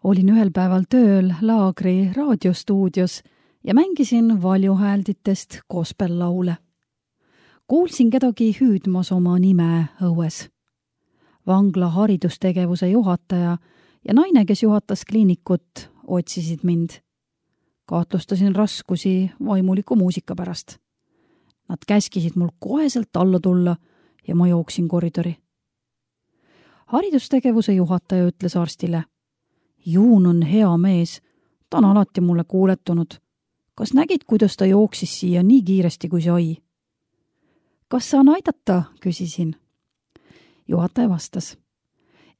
Olin ühel päeval tööl laagri raadiostuudios ja mängisin valjuhäälditest gospellaule. Kuulsin kedagi hüüdmas oma nime õues. Vangla haridustegevuse juhataja ja naine, kes juhatas kliinikut, otsisid mind. Kahtlustasin raskusi vaimuliku muusika pärast. Nad käskisid mul koheselt alla tulla ja ma jooksin koridori. Haridustegevuse juhataja ütles arstile: Juun on hea mees, ta on alati mulle kuuletunud. Kas nägid, kuidas ta jooksis siia nii kiiresti kui sai? Kas saan aidata, küsisin. Juhataja vastas: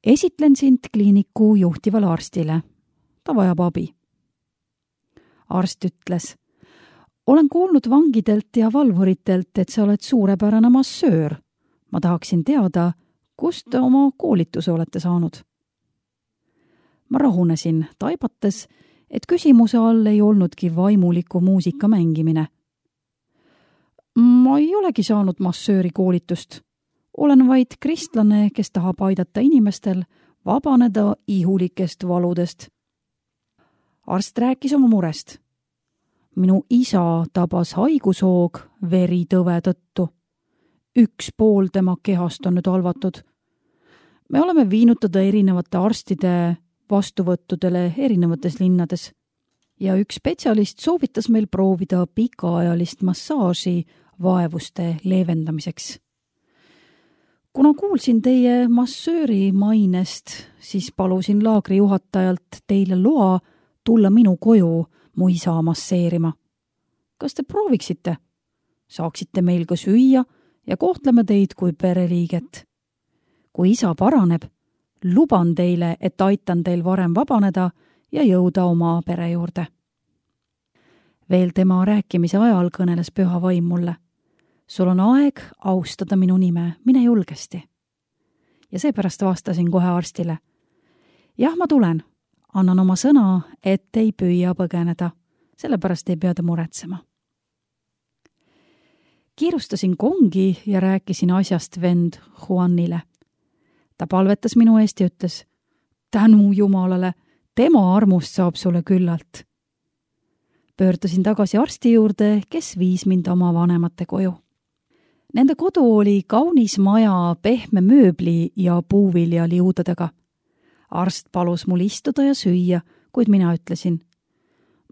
Esitlen sind kliiniku juhtivale arstile. Ta vajab abi. Arst ütles: Olen kuulnud vangidelt ja valvuritelt, et sa oled suurepärane massöör. Ma tahaksin teada, kust te oma koolituse olete saanud. Ma rahunesin, taibates, et küsimuse all ei olnudki vaimuliku muusika mängimine. Ma ei olegi saanud massööri koolitust. Olen vaid kristlane, kes tahab aidata inimestel vabaneda ihulikest valudest. Arst rääkis oma murest. Minu isa tabas haigushoog veritõve tõttu. Üks pool tema kehast on nüüd halvatud. Me oleme viinud teda erinevate arstide vastuvõttudele erinevates linnades ja üks spetsialist soovitas meil proovida pikaajalist massaaži vaevuste leevendamiseks. Kuna kuulsin teie massööri mainest, siis palusin laagri juhatajalt teile loa tulla minu koju mu isa masseerima. Kas te prooviksite? Saaksite meil ka süüa ja kohtleme teid kui pereliiget. Kui isa paraneb, luban teile, et aitan teil varem vabaneda ja jõuda oma pere juurde. Veel tema rääkimise ajal kõneles püha vaim mulle. Sul on aeg austada minu nime, mine julgesti. Ja seepärast vastasin kohe arstile. Jah, ma tulen. Annan oma sõna, et ei püüa põgeneda. Sellepärast ei pea te muretsema. Kiirustasin kongi ja rääkisin asjast vend Juanile. Ta palvetas minu eest ja ütles: Tänu Jumalale, tema armust saab sulle küllalt. Pöördusin tagasi arsti juurde, kes viis mind oma vanemate koju. Nende kodu oli kaunis maja pehme mööbli ja puuviljaliudadega. Arst palus mul istuda ja süüa, kuid mina ütlesin: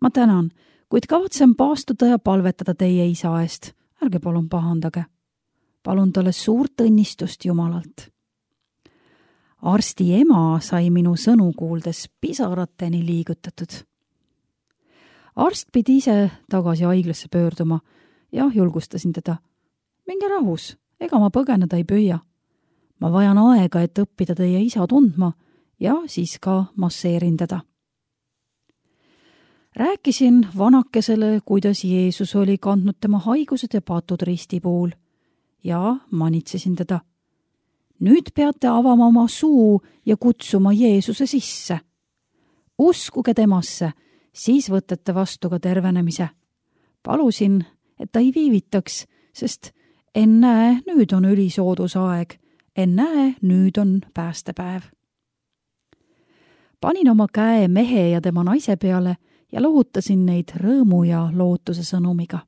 Ma tänan, kuid kavatsen paastuda ja palvetada teie isa eest. Ärge palun pahandage. Palun talle suurt õnnistust Jumalalt. Arsti ema sai minu sõnu kuuldes pisarateni liigutatud. Arst pidi ise tagasi haiglasse pöörduma ja julgustasin teda. Minge rahus, ega ma põgeneda ei püüa. Ma vajan aega, et õppida teie isa tundma ja siis ka masseerin teda. Rääkisin vanakesele, kuidas Jeesus oli kandnud tema haigused ja patud risti puul ja manitsesin teda. Nüüd peate avama oma suu ja kutsuma Jeesuse sisse. Uskuge temasse, siis võtate vastu ka tervenemise. Palusin, et ta ei viivitaks, sest ennäe, nüüd on ülisoodusaeg. Ennäe, nüüd on päästepäev. Panin oma käe mehe ja tema naise peale ja lohutasin neid rõõmu ja lootuse sõnumiga.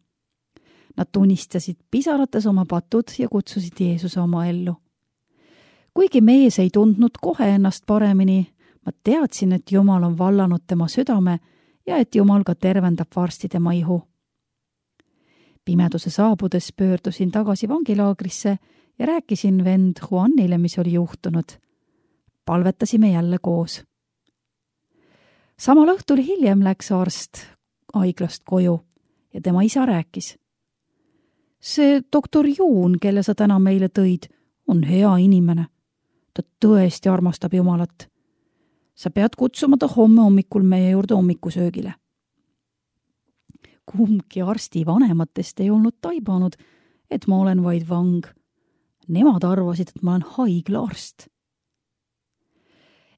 Nad tunnistasid pisarates oma patud ja kutsusid Jeesuse oma ellu. Kuigi mees ei tundnud kohe ennast paremini, ma teadsin, et Jumal on vallanud tema südame ja et Jumal ka tervendab varsti tema ihu. Pimeduse saabudes pöördusin tagasi vangilaagrisse ja rääkisin vend Juanile, mis oli juhtunud. Palvetasime jälle koos. Samal õhtul hiljem läks arst haiglast koju ja tema isa rääkis. See doktor Juun, kelle sa täna meile tõid, on hea inimene. Ta tõesti armastab Jumalat. Sa pead kutsuma ta homme hommikul meie juurde hommikusöögile. Kumbki arsti vanematest ei olnud taibanud, et ma olen vaid vang. Nemad arvasid, et ma olen haiglaarst.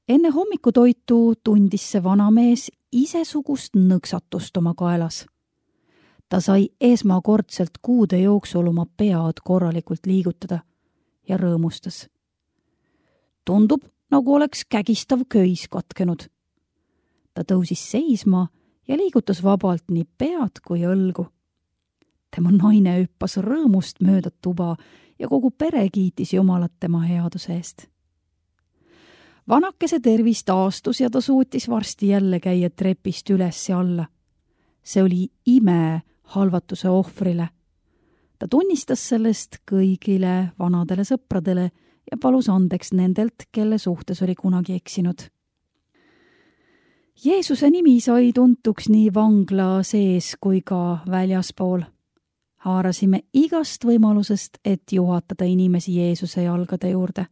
Enne hommikutoitu tundis see vanamees isesugust nõksatust oma kaelas. Ta sai esmakordselt kuude jooksul oma pead korralikult liigutada ja rõõmustas. Tundub, nagu oleks kägistav köis katkenud. Ta tõusis seisma ja liigutas vabalt nii pead kui õlgu. Tema naine hüppas rõõmust mööda tuba ja kogu pere kiitis Jumalat tema headuse eest. Vanakese tervis taastus ja ta suutis varsti jälle käia trepist üles ja alla. See oli ime halvatuse ohvrile. Ta tunnistas sellest kõigile vanadele sõpradele ja palus andeks nendelt, kelle suhtes oli kunagi eksinud. Jeesuse nimi sai tuntuks nii vangla sees kui ka väljaspool. Haarasime igast võimalusest, et juhatada inimesi Jeesuse jalgade juurde.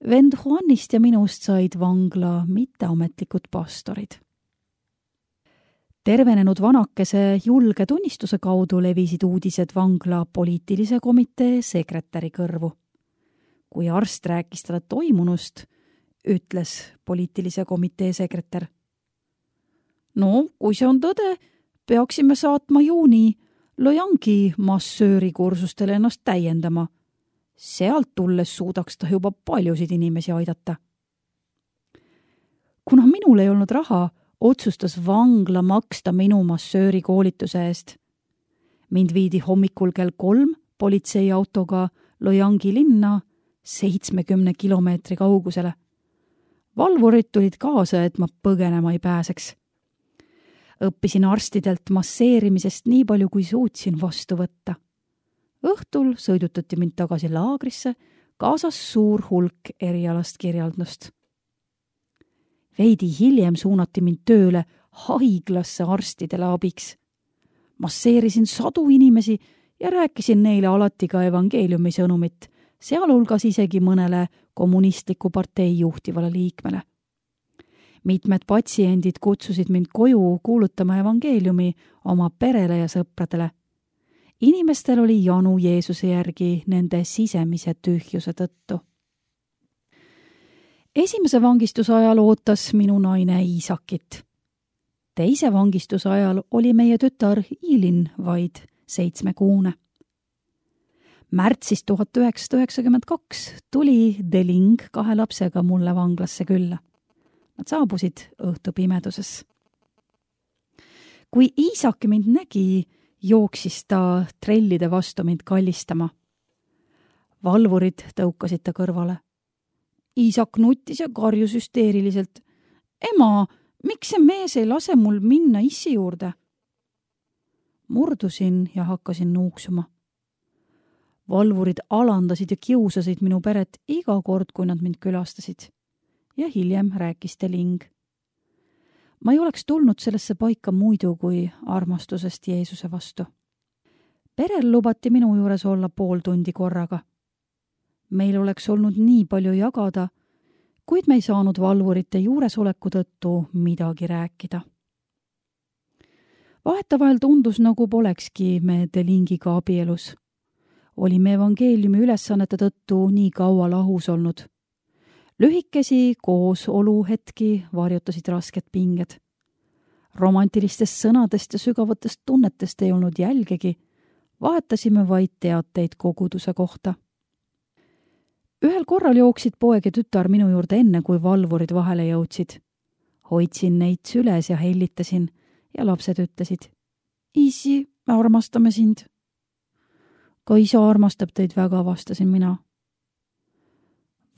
Vend Juanist ja minust said vangla mitteametlikud pastorid. Tervenenud vanakese julge tunnistuse kaudu levisid uudised vangla poliitilise komitee sekretäri kõrvu. Kui arst rääkis talle toimunust, ütles poliitilise komitee sekretär. No, kui see on tõde, peaksime saatma juuni Loyangi massööri kursustele ennast täiendama. Sealt tulles suudaks ta juba paljusid inimesi aidata. Kuna minul ei olnud raha, otsustas vangla maksta minu massööri koolituse eest. Mind viidi hommikul kell 3 politseiautoga Loyangi linna 70 kilomeetri kaugusele. Valvurid tulid kaasa, et ma põgenema ei pääseks. Õppisin arstidelt masseerimisest nii palju, kui suutsin vastu võtta. Õhtul sõidutati mind tagasi laagrisse, kaasas suur hulk erialast kirjaldust. Veidi hiljem suunati mind tööle haiglasse arstidele abiks. Masseerisin 100 inimesi ja rääkisin neile alati ka evangeeliumi sõnumit, sealhulgas isegi mõnele kommunistliku partei juhtivale liikmele. Mitmed patsiendid kutsusid mind koju kuulutama evangeeliumi oma perele ja sõpradele. Inimestel oli janu Jeesuse järgi nende sisemise tühjuse tõttu. Esimese vangistuse ajal ootas minu naine Iisakit. Teise vangistuse ajal oli meie tütar Iilin vaid 7-kuune. Märtsis 1992 tuli Deling 2 lapsega mulle vanglasse külla. Nad saabusid õhtupimeduses. Kui Iisak mind nägi, jooksis ta trellide vastu mind kallistama. Valvurid tõukasid ta kõrvale. Iisak nutis ja karjus hüsteeriliselt. Ema, miks see mees ei lase mul minna issi juurde? Murdusin ja hakkasin nuuksuma. Valvurid alandasid ja kiusasid minu peret iga kord, kui nad mind külastasid. Ja hiljem rääkis Deling. Ma ei oleks tulnud sellesse paika muidu kui armastusest Jeesuse vastu. Perel lubati minu juures olla pool tundi korraga. Meil oleks olnud nii palju jagada, kuid me ei saanud valvurite juuresoleku tõttu midagi rääkida. Vahetevahel tundus, nagu polekski me Delingiga abielus. Olime evangeeliumi ülesannete tõttu nii kaua lahus olnud. Lühikesi koosoluhetki varjutasid rasked pinged. Romantilistest sõnadest ja sügavatest tunnetest ei olnud jälgegi, vahetasime vaid teateid koguduse kohta. Ühel korral jooksid poeg ja tütar minu juurde enne, kui valvurid vahele jõudsid. Hoidsin neid süles ja hellitasin ja lapsed ütlesid, Isi, me armastame sind. Ka isa armastab teid väga, vastasin mina.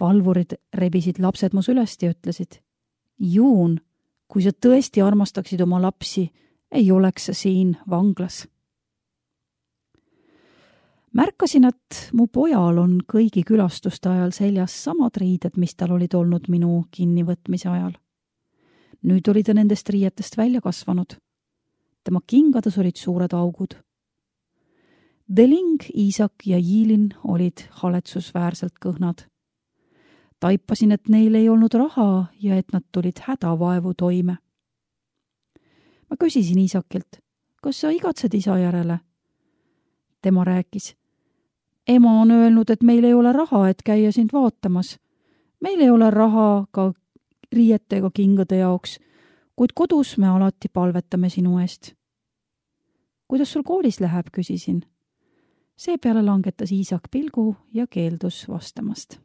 Valvurid rebisid lapsed mu sülest ja ütlesid, Juun, kui sa tõesti armastaksid oma lapsi, ei oleks sa siin vanglas. Märkasin, et mu pojal on kõigi külastuste ajal seljas samad riided, mis tal olid olnud minu kinnivõtmise ajal. Nüüd oli ta nendest riietest välja kasvanud. Tema kingades olid suured augud. Deling, Iisak ja Iilin olid haletsusväärselt kõhnad. Taipasin, et neil ei olnud raha ja et nad tulid hädavaevu toime. Ma küsisin Iisakilt, kas sa igatsed isa järele? Tema rääkis, ema on öelnud, et meil ei ole raha, et käia sind vaatamas. Meil ei ole raha ka riiete ega kingade jaoks, kuid kodus me alati palvetame sinu eest. Kuidas sul koolis läheb, küsisin. Seepeale langetas Iisak pilgu ja keeldus vastamast.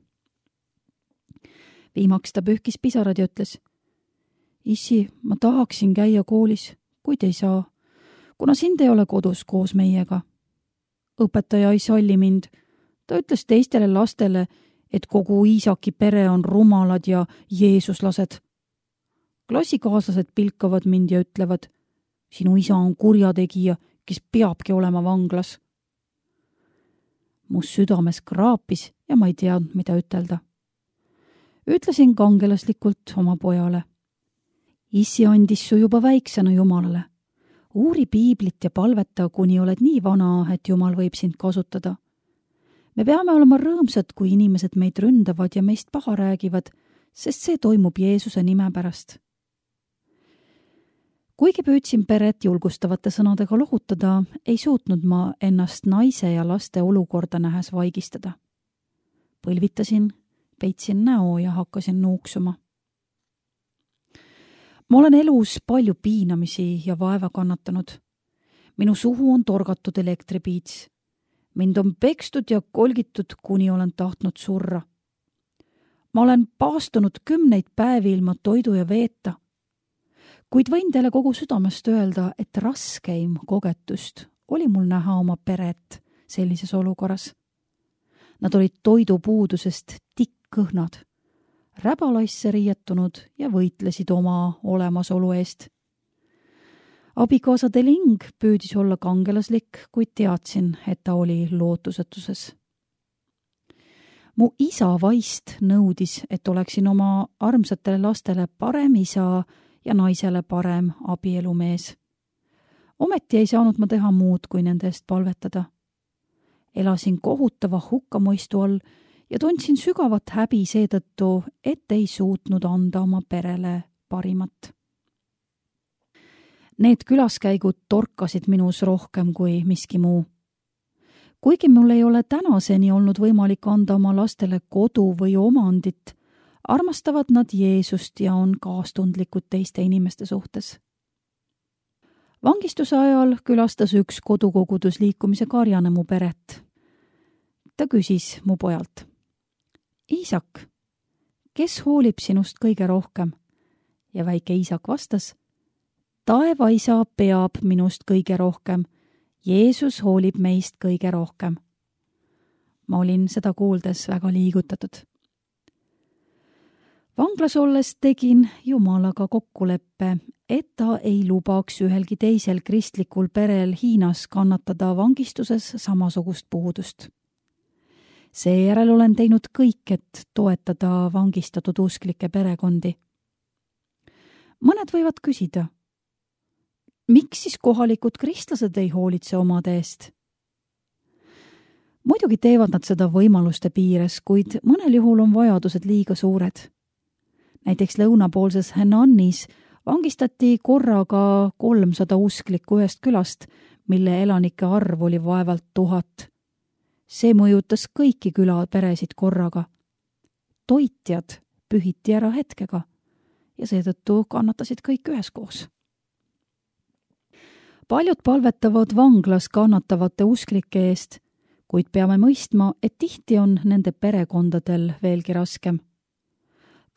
Viimaks ta pühkis pisarad ja ütles, Issi, ma tahaksin käia koolis, kuid ei saa, kuna sind ei ole kodus koos meiega. Õpetaja ei salli mind. Ta ütles teistele lastele, et kogu Iisaki pere on rumalad ja jeesuslased. Klassikaaslased pilkavad mind ja ütlevad, sinu isa on kurjategija, kes peabki olema vanglas. Mu südames kraapis ja ma ei teadnud, mida ütelda. Ütlesin kangelaslikult oma pojale. Issi andis su juba väiksena Jumalale. Uuri piiblit ja palveta, kuni oled nii vana, et Jumal võib sind kasutada. Me peame olema rõõmsad, kui inimesed meid ründavad ja meist paha räägivad, sest see toimub Jeesuse nime pärast. Kuigi püüdsin peret julgustavate sõnadega lohutada, ei suutnud ma ennast naise ja laste olukorda nähes vaigistada. Põlvitasin, peitsin näo ja hakkasin nuuksuma. Ma olen elus palju piinamisi ja vaeva kannatanud. Minu suhu on torgatud elektripiits. Mind on pekstud ja kolgitud, kuni olen tahtnud surra. Ma olen paastunud 10 päevi ilma toidu ja veeta. Kuid võin teile kogu südamest öelda, et raskeim kogetust oli mul näha oma peret sellises olukorras. Nad olid toidupuudusest tikkõhnad, räbalaisse riietunud ja võitlesid oma olemasolu eest. Abikaasa Deling püüdis olla kangelaslik, kuid teadsin, et ta oli lootusetuses. Mu isa vaist nõudis, et oleksin oma armsatele lastele parem isa ja naisele parem abielumees. Ometi ei saanud ma teha muud, kui nende eest palvetada. Elasin kohutava hukkamõistu all ja tundsin sügavat häbi seetõttu, et ei suutnud anda oma perele parimat. Need külaskäigud torkasid minus rohkem kui miski muu. Kuigi mul ei ole tänaseni olnud võimalik anda oma lastele kodu või omandit, armastavad nad Jeesust ja on kaastundlikud teiste inimeste suhtes. Vangistuse ajal külastas üks kodukogudusliikumise karjane mu peret. Ta küsis mu pojalt, Iisak, kes hoolib sinust kõige rohkem? Ja väike Iisak vastas, taevaisa peab minust kõige rohkem. Jeesus hoolib meist kõige rohkem. Ma olin seda kuuldes väga liigutatud. Vanglas olles tegin Jumalaga kokkuleppe, et ta ei lubaks ühelgi teisel kristlikul perel Hiinas kannatada vangistuses samasugust puudust. Seejärel olen teinud kõik, et toetada vangistatud usklike perekondi. Mõned võivad küsida, miks siis kohalikud kristlased ei hoolitse omade eest? Muidugi teevad nad seda võimaluste piires, kuid mõnel juhul on vajadused liiga suured. Näiteks lõunapoolses Henannis vangistati korraga 300 usklikku ühest külast, mille elanike arv oli vaevalt 1000. See mõjutas kõiki külaperesid korraga. Toitjad pühiti ära hetkega ja seetõttu kannatasid kõik üheskoos. Paljud palvetavad vanglas kannatavate usklike eest, kuid peame mõistma, et tihti on nende perekondadel veelgi raskem.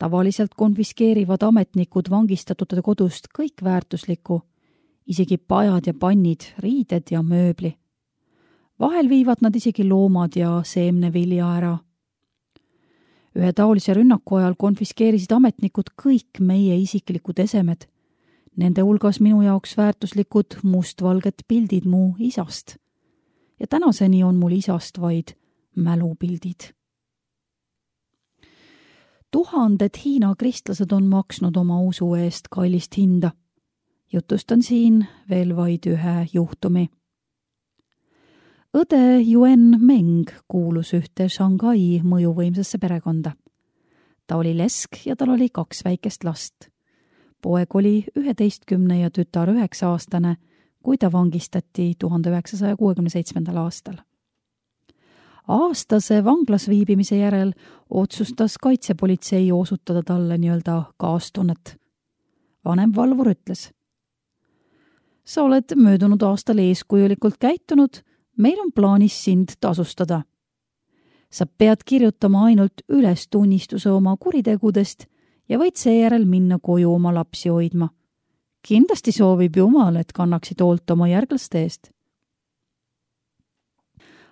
Tavaliselt konfiskeerivad ametnikud vangistatute kodust kõik väärtuslikku, isegi pajad ja pannid, riided ja mööbli. Vahel viivad nad isegi loomad ja seemnevilja ära. Ühe taolise rünnaku ajal konfiskeerisid ametnikud kõik meie isiklikud esemed. Nende hulgas minu jaoks väärtuslikud mustvalged pildid mu isast. Ja tänaseni on mul isast vaid mälupildid. 1000 Hiina kristlased on maksnud oma usu eest kallist hinda. Jutustan siin veel vaid ühe juhtumi. Õde Yuen Meng kuulus ühte Shanghai mõjuvõimsasse perekonda. Ta oli lesk ja tal oli 2 väikest last. Poeg oli 11 ja tütar 9-aastane, kui ta vangistati 1967. aastal. Aastase vanglas viibimise järel otsustas kaitsepolitsei osutada talle nii-öelda kaastunnet. Vanem valvur ütles, sa oled möödunud aastal eeskujulikult käitunud, meil on plaanis sind tasustada. Sa pead kirjutama ainult üles tunnistuse oma kuritegudest ja võid seejärel minna koju oma lapsi hoidma. Kindlasti soovib Jumal, et kannaksid hoolt oma järglaste eest.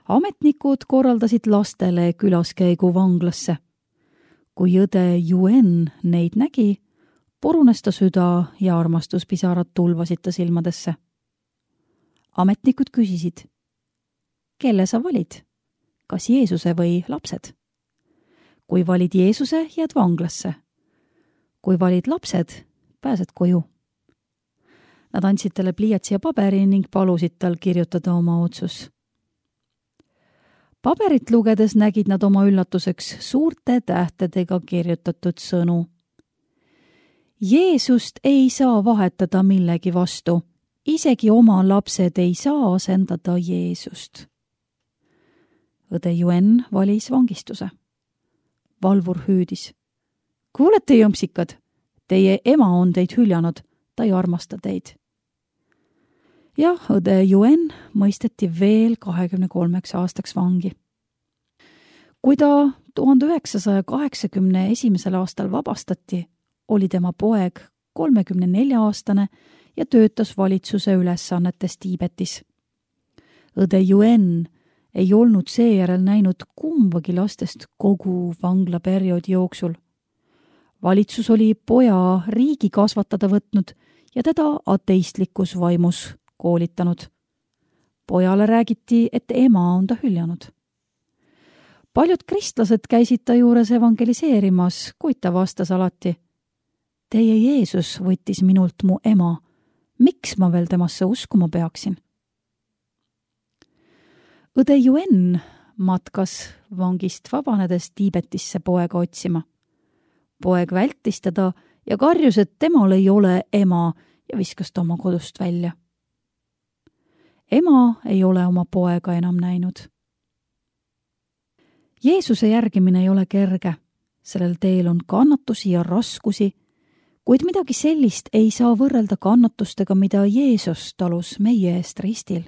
Ametnikud korraldasid lastele külaskäigu vanglasse. Kui õde Yuen neid nägi, purunes ta süda ja armastuspisarad tulvasid ta silmadesse. Ametnikud küsisid, kelle sa valid? Kas Jeesuse või lapsed? Kui valid Jeesuse, jääd vanglasse. Kui valid lapsed, pääsed koju. Nad andsid talle pliiatsi ja paberi ning palusid tal kirjutada oma otsus. Paberit lugedes nägid nad oma üllatuseks suurte tähtedega kirjutatud sõnu. Jeesust ei saa vahetada millegi vastu, isegi oma lapsed ei saa asendada Jeesust. Õde Yuen valis vangistuse. Valvur hüüdis. Kuulete, jõmpsikad, teie ema on teid hüljanud, ta ei armasta teid. Ja õde Yuen mõisteti veel 23 aastaks vangi. Kui ta 1981. aastal vabastati, oli tema poeg 34-aastane ja töötas valitsuse ülesannetes Tiibetis. Õde Yuen ei olnud seejärel näinud kumbagi lastest kogu vanglaperioodi jooksul. Valitsus oli poja riigi kasvatada võtnud ja teda ateistlikus vaimus koolitanud. Pojale räägiti, et ema on ta hüljanud. Paljud kristlased käisid ta juures evangeliseerimas, kuid ta vastas alati, teie Jeesus võttis minult mu ema, miks ma veel temasse uskuma peaksin? Õde Yuen matkas vangist vabanedes Tiibetisse poega otsima. Poeg vältis teda ja karjus, et temal ei ole ema ja viskas ta oma kodust välja. Ema ei ole oma poega enam näinud. Jeesuse järgimine ei ole kerge, sellel teel on kannatusi ja raskusi, kuid midagi sellist ei saa võrrelda kannatustega, mida Jeesus talus meie eest ristil.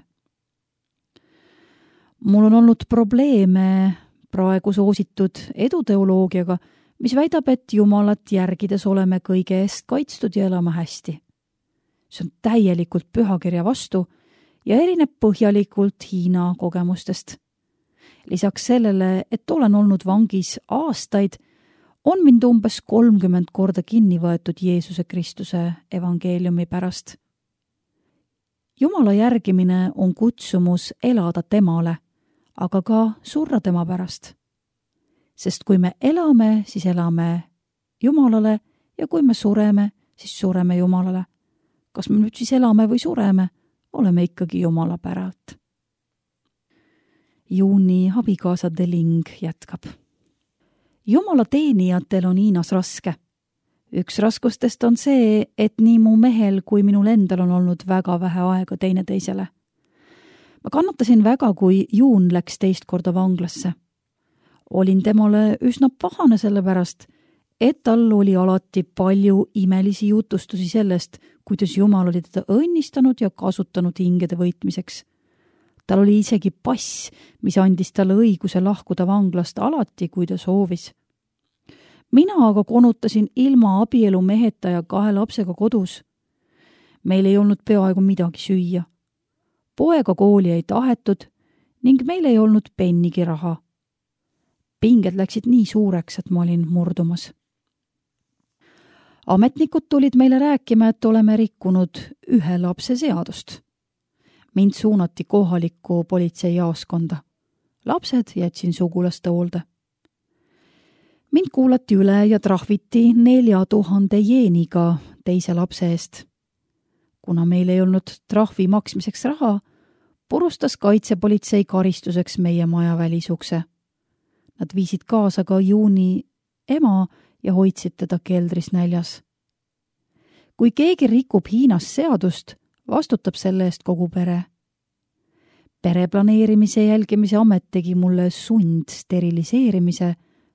Mul on olnud probleeme praegu soositud eduteoloogiaga, mis väidab, et Jumalat järgides oleme kõige eest kaitstud ja elame hästi. See on täielikult pühakirja vastu ja erineb põhjalikult Hiina kogemustest. Lisaks sellele, et olen olnud vangis aastaid, on mind umbes 30 korda kinni võetud Jeesuse Kristuse evangeeliumi pärast. Jumala järgimine on kutsumus elada temale, aga ka surra tema pärast. Sest kui me elame, siis elame Jumalale ja kui me sureme, siis sureme Jumalale. Kas me nüüd siis elame või sureme, oleme ikkagi Jumala päralt. Juuni abikaasa Deling jätkab. Jumala teenijatel on Hiinas raske. Üks raskustest on see, et nii mu mehel kui minul endal on olnud väga vähe aega teineteisele. Ma kannatasin väga, kui Juun läks teist korda vanglasse. Olin temale üsna pahane selle pärast, et tal oli alati palju imelisi jutustusi sellest, kuidas Jumal oli teda õnnistanud ja kasutanud hingede võitmiseks. Tal oli isegi pass, mis andis talle õiguse lahkuda vanglast alati, kui ta soovis. Mina aga konutasin ilma abielu meheta ja 2 lapsega kodus. Meil ei olnud peaaegu midagi süüa. Poega kooli ei tahetud ning meil ei olnud pennigi raha. Pinged läksid nii suureks, et ma olin murdumas. Ametnikud tulid meile rääkima, et oleme rikkunud 1 lapse seadust. Mind suunati kohalikku politseijaoskonda. Lapsed jätsin sugulaste hoolde. Mind kuulati üle ja trahviti 4000 jeeniga teise lapse eest. Kuna meil ei olnud trahvi maksmiseks raha, purustas kaitsepolitsei karistuseks meie maja välisukse. Nad viisid kaasa ka Juuni ema ja hoidsid teda keldris näljas. Kui keegi rikub Hiinas seadust, vastutab selle eest kogu pere. Pereplaneerimise jälgimise amet tegi mulle sundsteriliseerimise,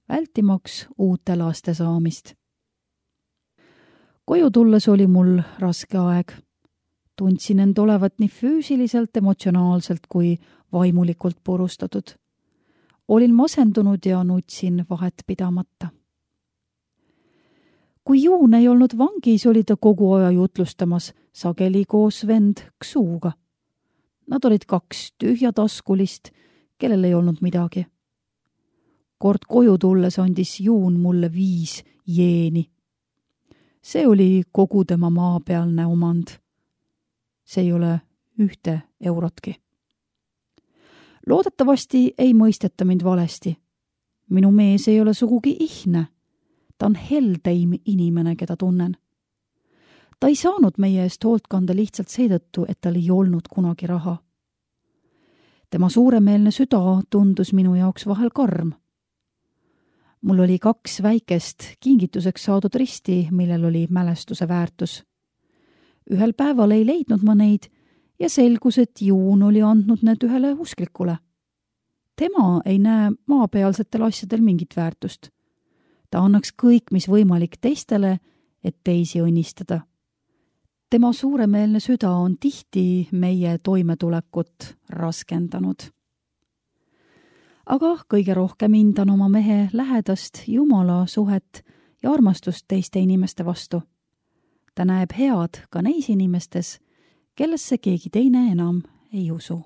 vältimaks uute laste saamist. Koju tulles oli mul raske aeg. Tundsin end olevat nii füüsiliselt, emotsionaalselt kui vaimulikult purustatud. Olin masendunud ja nutsin vahet pidamata. kui Juun ei olnud vangis, oli ta kogu aja jutlustamas, sageli koos vend Ksuuga. Nad olid 2 tühjataskulist, kellel ei olnud midagi. Kord koju tulles andis Juun mulle 5 jeeni. See oli kogu tema maapealne omand. See ei ole 1 eurotki. Loodetavasti ei mõisteta mind valesti. Minu mees ei ole sugugi ihne. Ta on heldeim inimene, keda tunnen. Ta ei saanud meie eest hoolt kanda lihtsalt seetõttu, et tal ei olnud kunagi raha. Tema suuremeelne süda tundus minu jaoks vahel karm. Mul oli 2 väikest kingituseks saadud risti, millel oli mälestuse väärtus. Ühel päeval ei leidnud ma neid ja selgus, et Juun oli andnud need ühele usklikule. Tema ei näe maapealsetel asjadel mingit väärtust. Ta annaks kõik, mis võimalik teistele, et teisi õnnistada. Tema suuremeelne süda on tihti meie toimetulekut raskendanud. Aga kõige rohkem hindan oma mehe lähedast Jumala suhet ja armastust teiste inimeste vastu. Ta näeb head ka neis inimestes, kellesse keegi teine enam ei usu.